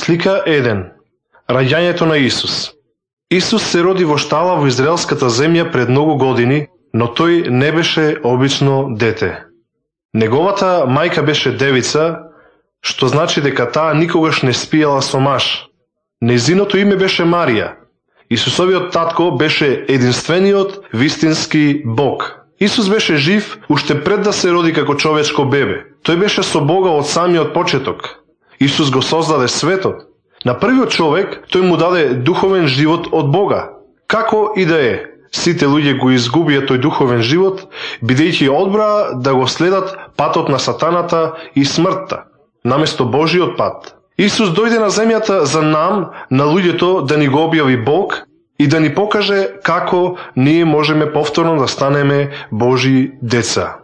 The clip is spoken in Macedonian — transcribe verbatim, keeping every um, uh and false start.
Слика еден. Раѓањето на Исус. Исус се роди во штала во израелската земја пред многу години, но тој не беше обично дете. Неговата мајка беше девица, што значи дека таа никогаш не спиела со маж. Нејзиното име беше Марија. Исусовиот татко беше единствениот вистински Бог. Исус беше жив уште пред да се роди како човечко бебе. Тој беше со Бога од самиот почеток. Исус го создаде светот. На првиот човек тој му даде духовен живот од Бога. Како и да е, сите луѓе го изгубија тој духовен живот, бидејќи одбраа да го следат патот на сатаната и смртта, наместо Божиот пат. Исус дојде на земјата за нам, на луѓето, да ни го објави Бог и да ни покаже како ние можеме повторно да станеме Божи деца.